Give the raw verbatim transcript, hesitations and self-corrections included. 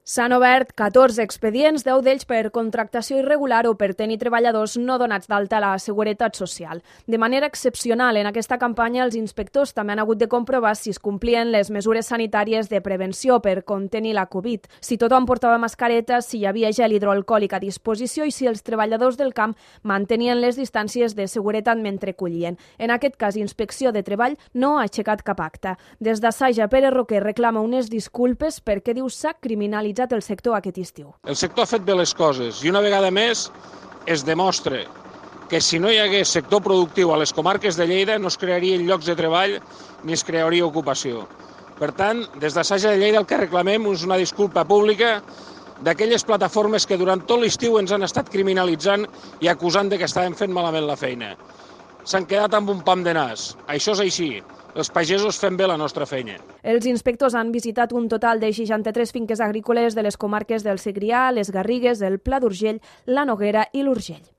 S'han obert catorze expedients, deu d'ells per contractació irregular o per tenir treballadors no donats d'alta a la Seguretat Social. De manera excepcional, en aquesta campanya, els inspectors també han hagut de comprovar si es complien les mesures sanitàries de prevenció per contenir la Covid, si tothom portava mascareta, si hi havia gel hidroalcohòlic a disposició i si els treballadors del camp mantenien les distàncies de seguretat mentre collien. En aquest cas, Inspecció de Treball no ha aixecat cap acte. Des d'Assaja, Pere Roquer reclama unes disculpes perquè diu s'ha criminalitzat el sector aquest estiu. El sector ha fet bé les coses i una vegada més es demostra que si no hi hagués sector productiu a les comarques de Lleida no es crearien llocs de treball ni es crearia ocupació. Per tant, des d'Assaja de Lleida el que reclamem és una disculpa pública d'aquelles plataformes que durant tot l'estiu ens han estat criminalitzant i acusant de que estàvem fent malament la feina. S'han quedat amb un pam de nas. Això és així. Els pagesos fem bé la nostra feina. Els inspectors han visitat un total de seixanta-tres finques agrícoles de les comarques del Segrià, les Garrigues, el Pla d'Urgell, la Noguera i l'Urgell.